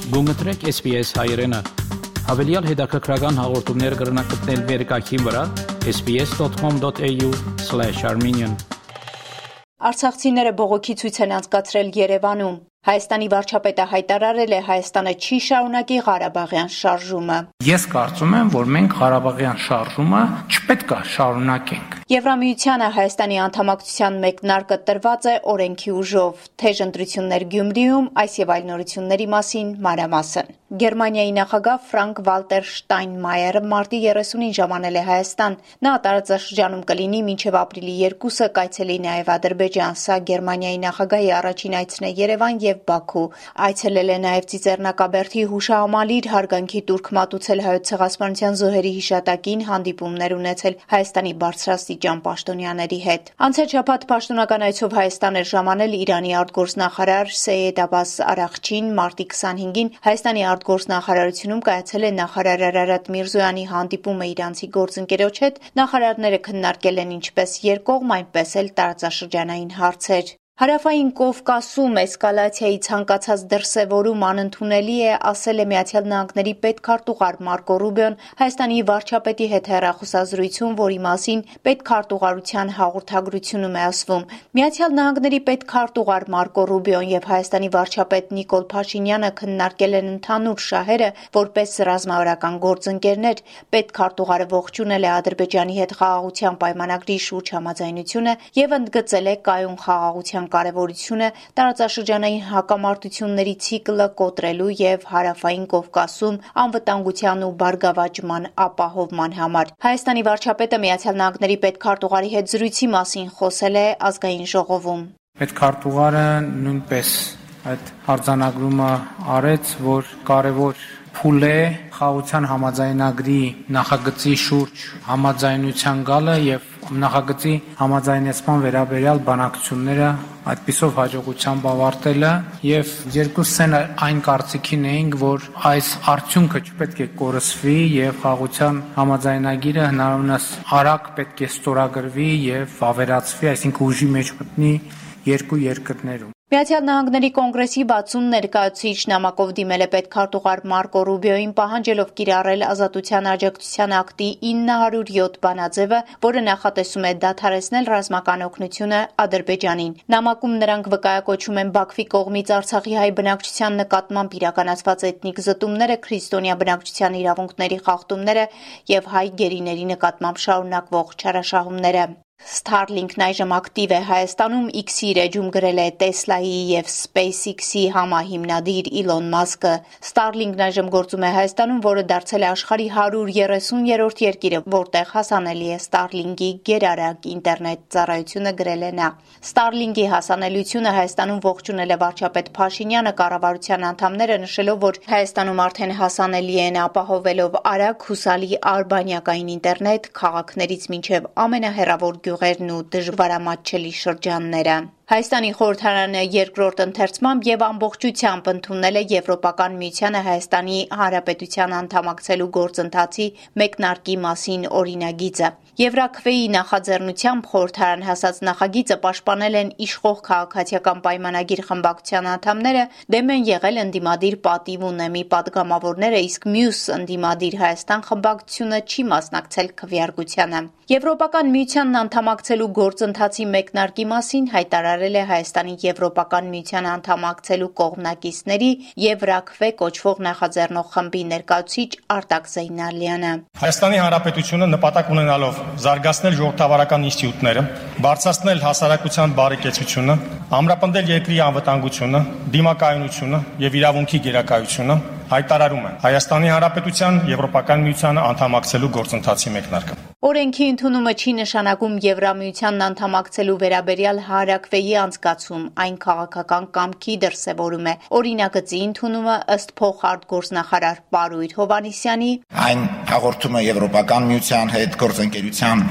Գումտրեք SPS հայրենը։ Հավելյալ հետաքրքրական հաղորդումներ կգրնակցնել վերկայքին վրա sbs.com.au/armenian Արցախցիները բողոքի ցույց են անցկացրել Երևանում։ Հայաստանի վարչապետը հայտարարել է Հայաստանը չի շարունակի Ղարաբաղյան շարժումը։ Ես կարծում եմ, որ մենք Ղարաբաղյան շարժումը չպետք է շարունակենք։ Եվրամիությանը Հայաստանի անդամակցության մեկնարկը տրված է օրենքի ուժով, թեժ ընտրություններ Գյումրիում, այս եւ այլ նորությունների մասին մանրամասն։ Գերմանիայի նախագահ Ֆրանկ Վալտեր Շտայնմայերը մարտի 30-ին ժամանել է Հայաստան։ Նա տարածաշրջանում կլինի մինչև ապրիլի 2-ը, կայցելի նաև Ադրբեջան, սա Գերմանիայի նախագահի առաջին այցն է Երևան եւ Բաքու։ Այցելել է նաև Ծիծեռնակաբերդի հուշահամալիր, հարգանքի տուրք մատուցել Հայոց ցեղասպանության զոհերի հիշատակին, հանդիպումներ ունեցել Հայաստանի բարձրաստիճան պաշտոնյաների հետ։ Անցյալ շաբաթ պաշտոնական այցով Հայաստան էր ժամանել Իրանի արտգործնախարար Սեյեդ Աբբաս Արաղչին։ Մարտի 25-ին Հայաստանի արտգործնախարարությունում կայացել է նախարար Արարատ Միրզոյանի հանդիպումը իրանցի գործընկերոջ հետ։ Նախարարները քննարկել են ինչպես երկկողմ, այնպես էլ տարածաշրջանային հարցեր։ Հարավային Կովկասում էսկալացիայի ցանկացած դրսևորում անընդունելի է, ասել է Միացյալ Նահանգների պետքարտուղար Մարկո Ռուբիոն Հայաստանի վարչապետի հետ հեռախոսազրույցում, որի մասին պետքարտուղարության հաղորդագրությունում է ասվում։ Միացյալ Նահանգների պետքարտուղար Մարկո Ռուբիոն եւ Հայաստանի վարչապետ Նիկոլ Փաշինյանը քննարկել են ընդհանուր շահերը որպես ռազմավարական գործընկերներ։ Պետքարտուղարը ողջունել է Ադրբեջանի հետ խաղաղության պայմանագրի շուրջ համաձայնությունը եւ ընդգծել է կայուն խաղաղության կարևորությունը տարածաշրջանային հակամարտությունների ցիկլը կոտրելու եւ Հարավային Կովկասում անվտանգության ու բարգավաճման ապահովման համար։ Հայաստանի վարչապետը Միացյալ Նահանգների պետքարտուղարի հետ զրույցի մասին խոսել է ազգային ժողովում։ Պետքարտուղարը նույնպես այդ արձանագրումը արեց, որ կարևոր փուլ է խաղաղության համաձայնագրի նախագծի շուրջ համաձայնության գալը եւ նախագծի համաձայնեցման վերաբերյալ բանակցությունները այդպիսով հաջողությամբ ավարտելը եւ երկուսս այն կարծիքին էինք, որ այս արդյունքը չպետք է կորսվի եւ խաղաղության համաձայնագիրը հնարավորինս արագ պետք է ստորագրվի եւ ավերածվի, այսինքն ուժի մեջ մտնի երկու երկրներում։ Միացյալ Նահանգների կոնգրեսի 60 ներկայացուցիչ նամակով դիմել է պետքարտուղար Մարկո Ռուբիոին, պահանջելով կիրառել Ազատության աջակցության ակտի 907 բանաձևը, որը նախատեսում է դադարեցնել ռազմական օգնությունը Ադրբեջանին։ Նամակում նրանք վկայակոչում են Բաքվի կողմից Արցախի հայ բնակչության նկատմամբ իրականացված էթնիկ զտումները, քրիստոնյա բնակչության իրավունքների խախտումները եւ հայ գերիների նկատմամբ շարունակվող չարաշահումները։ Starlink-ն այժմ ակտիվ է Հայաստանում, X-ի իր էջում գրել է Tesla-ի եւ SpaceX-ի համահիմնադիր Իլոն Մասկը։ Starlink-ն այժմ գործում է Հայաստանում, որը դարձել է աշխարհի 130-րդ երկիրը, որտեղ հասանելի է Starlink-ի գերարագ ինտերնետ ծառայությունը, գրել է նա։ Starlink-ի հասանելիությունը Հայաստանում ողջունել է վարչապետ Փաշինյանը, կառավարության անդամները նշելով, որ Հայաստանում արդեն հասանելի են ապահովելով արագ, հուսալի արբանյակային ինտերնետ քաղաքներից մինչև ամենահեռավոր գյուղերն ու դժվարամատչելի շրջանները։ Հայաստանի խորհրդարանը երկրորդ ընթերցմամբ եւ ամբողջությամբ ընդունել է Եվրոպական միությանը Հայաստանի Հանրապետության անդամակցելու գործընթացի մեկնարկի մասին օրինագիծը։ Եվրաքվեի նախաձեռնությամբ խորհրդարան հասած նախագիծը պաշտպանել են իշխող քաղաքացիական պայմանագիր խմբակցության անդամները, դեմ են եղել ընդդիմադիր պատիվ ունեմի պատգամավորները, իսկ մյուս ընդդիմադիր Հայաստան խմբակցությունը չի մասնակցել քվեարկությանը։ Եվրոպական միությանն անդամակցելու գործընթացի մեկնարկի մասին հայտարարել է Հայաստանի Եվրոպական միության անդամակցելու կողմնակիցների Եվրաքվե կոչվող նախաձեռնող խմբի ներկայացուցիչ Արտակ Զեյնալյանը։ Հայաստանի Հանրապետությունը նպատակ ունենալով զարգացնել ժողովրդավարական ինստիտուտները, բարձրացնել հասարակության բարեկեցությունը, ամրապնդել երկրի անվտանգությունը, դիմակայունությունը եւ իրավունքի գերակայությունը, հայտարարում է Հայաստանի Հանրապետության Եվրոպական միությանը անդամակցելու գործընթացի մեկնարկը։ Օրենքի ընդունումը չի նշանակում Եվրամիությանն անդամակցելու վերաբերյալ Հանրաքվեի անցկացում, այն քաղաքական կամքի դրսևորում է։ Օրինագծի ընդունումը ըստ փոխարտգործնախարար Պարույր Հովհաննիսյանի այն հաղորդում է Եվրոպական միության հետ գործընկերության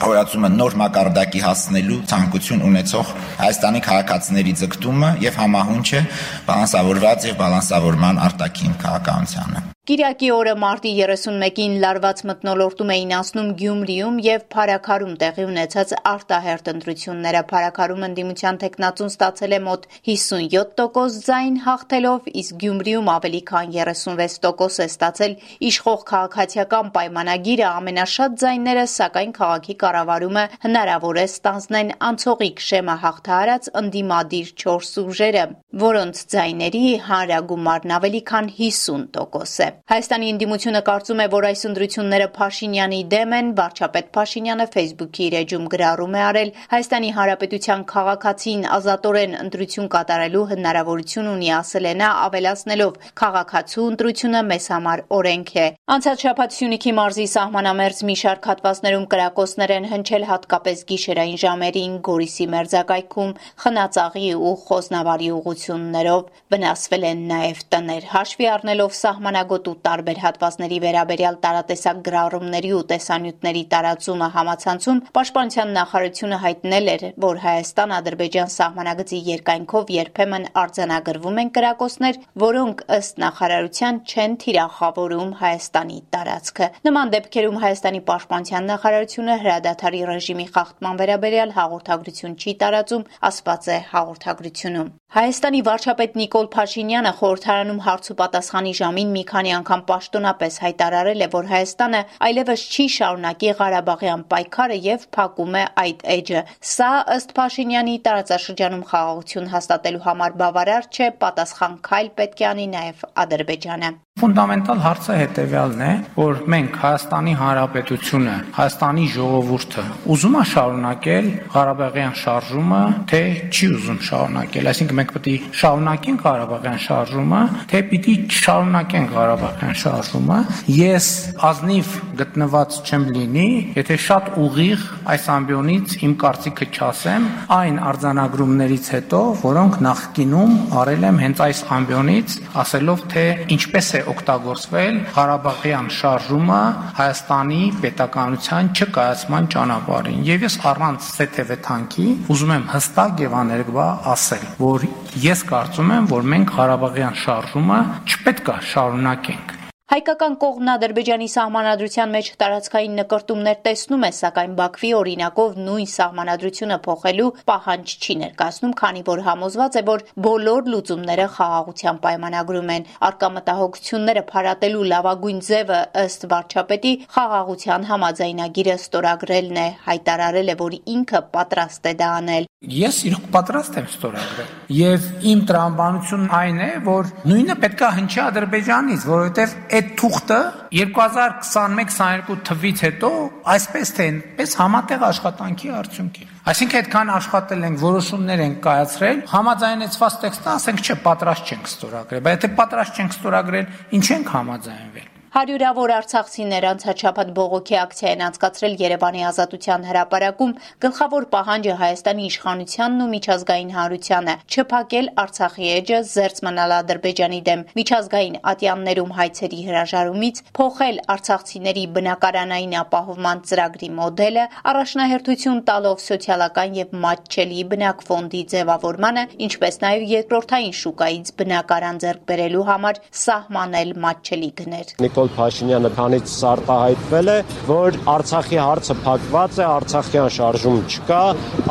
Հորացումը նոր մակարդակի հասնելու ցանկություն ունեցող Հայաստանի քաղաքացիների ձգտումը եւ համահունչ է բալանսավորված եւ բալանսավորման արտաքին քաղաքականությանը։ Կիրակի օրը մարտի 31-ին լարված մթնոլորտում էին անցնում Գյումրիում եւ Փարաքարում տեղի ունեցած արտահերթ ընտրությունները։ Փարաքարում ընդդիմության թեկնածուն ստացել է մոտ 57% ձայն հաղթելով, իսկ Գյումրիում ավելի քան 36% է ստացել իշխող քաղաքացիական պայմանագիրը ամենաշատ ձայները, սակայն քաղաքի կառավարումը հնարավոր է ստանձնեն անցողիկ շեմը հաղթահարած ընդդիմադիր 4 ուժերը, որոնց ձայների հանրագումարն ավելի քան 50% է։ Հայաստանի ընդդիմությունը կարծում է, որ այս ընտրությունները Փաշինյանի դեմ են։ Վարչապետ Փաշինյանը Facebook-ի իր էջում գրառում է արել Հայաստանի Հանրապետության քաղաքացին ազատորեն ընտրություն կատարելու հնարավորություն ունի, ասել է նա, ավելացնելով քաղաքացու ընտրությունը մեզ համար օրենք է։ Անցած շաբաթ Սյունիքի մարզի սահմանամերձ մի շարք հատվածներում կրակոցներ են հնչել, հատկապես գիշերային ժամերին, Գորիսի մերձակայքում Խնածաղի ու Խոզնավարի ուղղություններով վնասվել են նաև տներ։ Հաշվի առնելով սահմանագոտ ու տարբեր հատվածների վերաբերյալ տարատեսակ գրառումների ու տեսանյութերի տարածումը համացանցում, Պաշտպանության նախարարությունը հայտնել էր, որ Հայաստան-Ադրբեջան սահմանագծի երկայնքով երբեմն արձանագրվում են կրակոցներ, որոնք ըստ նախարարության չեն թիրախավորում Հայաստանի տարածքը։ Նման դեպքերում Հայաստանի Պաշտպանության նախարարությունը հրադադարի ռեժիմի խախտման վերաբերյալ հաղորդագրություն չի տարածում, ասված է հաղորդագրությունում։ Հայաստանի վարչապետ Նիկոլ Փաշինյանը խորհրդարանում հարց ու պատասխանի ժամին մի քանի անգամ պաշտոնապես հայտարարել է, որ Հայաստանը այլևս չի շարունակի Ղարաբաղյան պայքարը եւ փակում է այդ էջը։ Սա ըստ Փաշինյանի տարածաշրջանում խաղաղություն հաստատելու համար բավարար չէ, պատասխան քայլ պետք է անի նաեւ Ադրբեջանը։ Ֆունդամենտալ հարցը հետևյալն է, որ մենք Հայաստանի Հանրապետությունը, Հայաստանի ժողովուրդը ուզում է շարունակել Ղարաբաղյան շարժումը, թե չի ուզում շարունակել, այսինքն մենք պետք է շարունակենք Ղարաբաղյան շարժումը, թե պիտի չշարունակենք Ղարաբաղյան շարժումը։ Ես ազնիվ գտնված չեմ լինի, եթե շատ ուղիղ այս ամբիոնից իմ կարծիքը չասեմ այն արձանագրումներից հետո, որոնք նախկինում արել եմ հենց այս ամբիոնից, ասելով, թե ինչպես է օգտագործվել Ղարաբաղյան շարժումը Հայաստանի պետականության չկայացման ճանապարհին։ Եվ ես առանց սեթևեթանքի ուզում եմ հստակ եւ աներկբա ասել, որ ես կարծում եմ, որ մենք Ղարաբաղյան շարժումը չպետք է շարունակենք։ Հայկական կողմն Ադրբեջանի սահմանադրության մեջ տարածքային նկրտումներ տեսնում է, սակայն Բաքվի օրինակով նույն սահմանադրությունը փոխելու պահանջ չի ներկայացնում, քանի որ համոզված է, որ բոլոր լուծումները խաղաղության պայմանագրում են։ Առկա մտահոգությունները փարատելու լավագույն ձևը ըստ վարչապետի խաղաղության համաձայնագիրը ստորագրելն է, հայտարարել է, որ ինքը պատրաստ է դա անել։ Ես իրոք պատրաստ եմ ստորագրել։ Եվ իմ տրամաբանությունն այն է, որ նույնը պետք է հնչի Ադրբեջանից, որովհետև այդ թուղթը 2021-22 թվից հետո այսպես թե այնպես համատեղ աշխատանքի արդյունք է։ Այսինքն այդքան աշխատել ենք, որոշումներ ենք կայացրել, համաձայնեցված տեքստը ասենք չէ, պատրաստ չենք ստորագրել, բայց եթե պատրաստ չենք ստորագրել, ինչ ենք համաձայնվել։ Հարյուրավոր արցախցիներ անցած շաբաթ բողոքի ակցիա են անցկացրել Երևանի Ազատության հրապարակում։ Գլխավոր պահանջը Հայաստանի իշխանությանն ու միջազգային հանրությանը չփակել Արցախի էջը, զերծ մնալ Ադրբեջանի դեմ միջազգային ատյաններում հայցերի հրաժարումից, փոխել արցախցիների բնակարանային ապահովման ծրագրի մոդելը, առաջնահերթություն տալով սոցիալական եւ մատչելի բնակֆոնդի ձևավորմանը, ինչպես նաեւ երկրորդային շուկայից բնակարան ձեռք բերելու համար սահմանել մատչելի գներ։ Փաշինյանը քանից արտահայտվել է, որ Արցախի հարցը փակված է, Արցախյան շարժում չկա,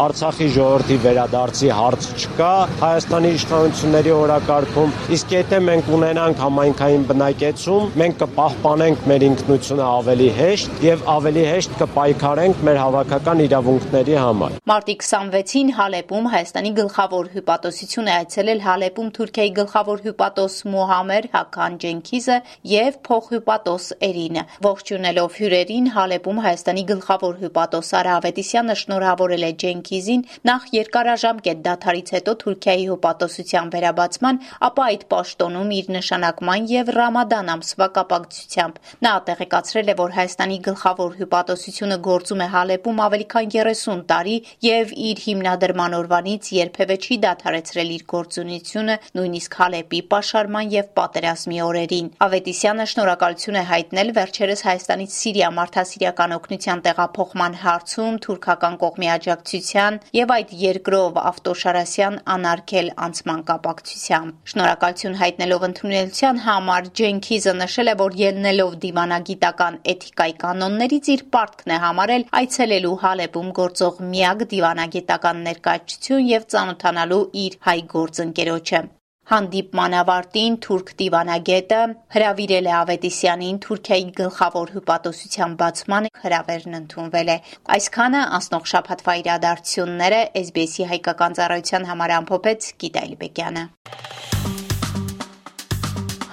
Արցախի ժողովրդի վերադարձի հարց չկա Հայաստանի իշխանությունների օրակարգում, իսկ եթե մենք ունենանք համայնքային բնակեցում, մենք կպահպանենք մեր ինքնությունը ավելի հեշտ եւ ավելի հեշտ կպայքարենք մեր հավաքական իրավունքների համար։ Մարտի 26-ին Հալեպում Հայաստանի գլխավոր հյուպատոսություն է այցելել Հալեպում Թուրքիայի գլխավոր հյուպատոս Մուհամմեդ Հական Ջենքիզը եւ փոխհյուպատոս Էրինը։ Ողջունելով հյուրերին Հալեպում Հայաստանի գլխավոր հյուպատոս Արա Ավետիսյանը շնորհավորել է Ջենքիզին նախ երկարաժամկետ դադարից հետո Թուրքիայի հյուպատոսության վերաբացման, ապա այդ պաշտոնում իր նշանակման եւ Ռամադան ամսվա կապակցությամբ։ Նա տեղեկացրել է, որ Հայաստանի գլխավոր հյուպատոսությունը գործում է Հալեպում ավելի քան 30 տարի եւ իր հիմնադրման օրվանից երբևէ չի դադարեցրել իր գործունեությունը, նույնիսկ Հալեպի պաշարման եւ պատերազմի օրերին։ Ավետիսյանը շնորհակալ շնորհակալություն է հայտնել վերջերս Հայաստանից Սիրիա մարդասիրական օգնության տեղափոխման հարցում թուրքական կողմի աջակցության եւ այդ երկրով ավտոշարասյան անարգել անցման կապակցությամբ։ Շնորհակալություն հայտնելով ընդունելության համար Ջենքիզը նշել է, որ ելնելով դիվանագիտական էթիկայի կանոններից իր պարտքն է համարել այցելելու Հալեպում գործող միակ դիվանագիտական ներկայացություն եւ ծանոթանալու իր հայ գործընկերոջը։ Հանդիպման ավարտին թուրք դիվանագետը հրավիրել է Ավետիսյանին Թուրքիայի գլխավոր հյուպատոսության բացման հրավերն ընդունվել է։ Այսքանը անցնող շաբաթվա իրադարձությունները SBS-ի հայկական ծառայության համար ամփոփեց Գիտա Իլբեկյանը։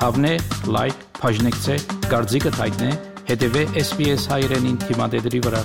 Հավնե, լայք, բաժնեկցե, դարձիկը թայտնե, հետևե SBS հայրենին թիմադեդի վրա։